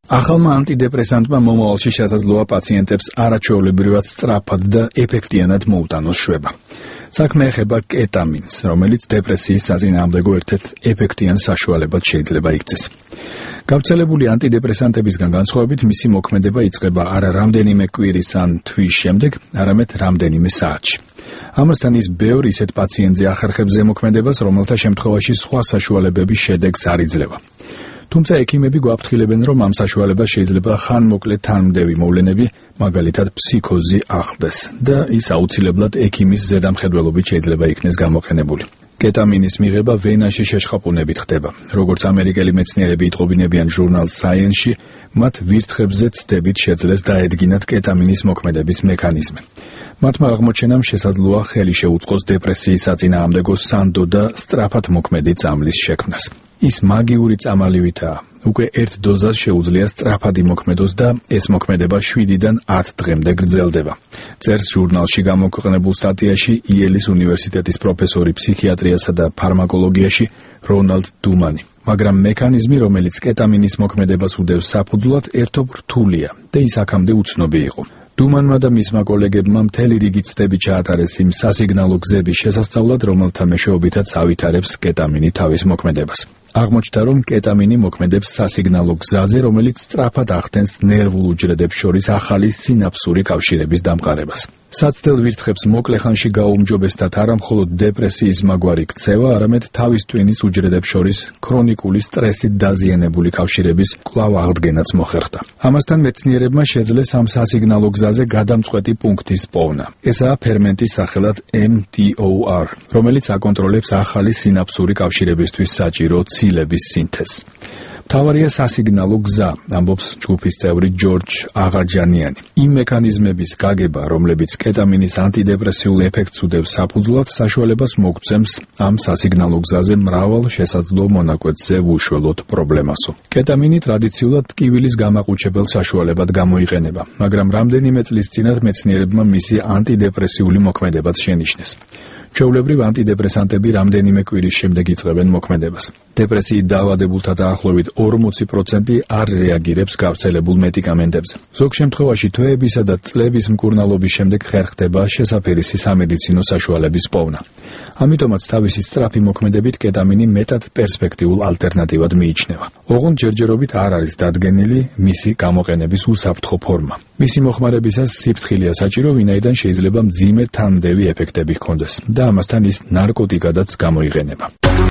ახალმა ანტიდეპრესანტმა მომავალში შესაძლოა პაციენტებს არაჩვეულებრივად სწრაფად და ეფექტიანად მოუტანოს შვება. საქმე ეხება კეტამინს, რომელიც დეპრესიის საწინააღმდეგო ერთ-ერთ ეფექტიან საშუალებად შეიძლება იქცეს. გავრცელებული ანტიდეპრესანტებისგან განსხვავებით მისი მოქმედება იწყება არა რამდენიმე კვირის ან თვის შემდეგ, არამედ რამდენიმე საათში. ამასთან ის ბევრ ისეთ პაციენტზე ახერხებს ზემოქმედებას, რომელთა შემთხვევაში სხვა საშუალებების შედეგს არ იძლევა. თუმცა ექიმები გვაფრთხილებენ, რომ ამ საშუალებას შეიძლება ხანმოკლე თანმდევი მოვლენები, მაგალითად ფსიქოზი ახლდეს და ის აუცილებლად ექიმის ზედამხედველობით შეიძლება იქნეს გამოყენებული. კეტამინის მიღება ვენაში შეშხაპუნებით ხდება. როგორც ამერიკელი მეცნიერები იტყობინებიან ჟურნალ Science-ში, მათ ვირთხებზე ცდებით შეძლეს დაედგინათ კეტამინის მოქმედების მექანიზმი. მათმა აღმოჩენამ შესაძლოა ხელი შეუწყოს დეპრესიის საწინააღმდეგო სანდო და სწრაფად მოქმედი წამლის შექმნას. ის მაგიური წამალივითაა. უკვე ერთ დოზას შეუძლია სწრაფად იმოქმედოს და ეს მოქმედება 7-დან 10 დღემდე გრძელდება. წერს ჟურნალში გამოქვეყნებულ სტატიაში იელის უნივერსიტეტის პროფესორი ფსიქიატრიასა და ფარმაკოლოგიაში რონალდ დუმანი. მაგრამ მექანიზმი, რომელიც კეტამინის მოქმედებას უდევს საფუძვლად, ერთობ რთულია და ის აქამდე უცნობი იყო. დუმანმა და მისმა კოლეგებმა მთელი რიგი ცდები ჩაატარეს იმ სასიგნალო გზების შესასწავლად, რომელთა მეშვეობითაც ავითარებს კეტამინი თავის მოქმედებას. აღმოჩნდა, რომ კეტამინი მოქმედებს სასიგნალო გზაზე, რომელიც სწრაფად ახდენს ნერვულ უჯრედებს შორის ახალი სინაფსური კავშირების დამყარებას. საცდელ ვირთხებს მოკლე ხანში გაუმჯობესდათ არა მხოლოდ დეპრესიის მაგვარი ქცევა, არამედ თავის ტვინის უჯრედებს შორის ქრონიკული სტრესით დაზიანებული კავშირების კვლავ აღდგენაც მოხერხდა. ამასთან მეცნიერებმა შეძლეს ამ სასიგნალო გზაზე გადამწყვეტი პუნქტის პოვნა. ესაა ფერმენტის სახელად mTOR, რომელიც აკონტროლებს ახალი სინაფსური კავშირებისთვის საჭირო ცილების სინთეზს. მთავარია სასიგნალო გზა, ამბობს ჯგუფის წევრი ჯორჯ აღაჯანიანი. იმ მექანიზმების გაგება, რომლებიც კეტამინის ანტიდეპრესიულ ეფექტს უდევს საფუძვლად, საშუალებას მოგცემს ამ სასიგნალო გზაზე მრავალ შესაძლო მონაკვეთზე ვუშველოთ პრობლემასო. კეტამინი ტრადიციულად ტკივილის გამაყუჩებელ საშუალებად გამოიყენება, მაგრამ რამდენიმე წლის წინათ მეცნიერებმა მისი ანტიდეპრესიული მოქმედებაც შენიშნეს. ჩვეულებრივ ანტიდეპრესანტები რამდენიმე კვირის შემდეგ იწყებენ მოქმედებას. დეპრესიით დაავადებულთა დაახლოებით 40% არ რეაგირებს გავრცელებულ მედიკამენტებზე. ზოგ შემთხვევაში თვეებისა და წლების მკურნალობის შემდეგ ხერხდება შესაფერისი სამედიცინო საშუალების პოვნა. ამიტომაც თავისი სწრაფი მოქმედებით კეტამინი მეტად პერსპექტიულ ალტერნატივად მიიჩნევა. ოღონდ ჯერჯერობით არ არის დადგენილი მისი გამოყენების უსაფრთხო ფორმა. მისი მოხმარებისას სიფრთხილეა საჭირო, ვინაიდან შეიძლება მძიმე თანმდევი ეფექტები ჰქონდეს და ამასთან ის ნარკოტიკადაც გამოიყენება.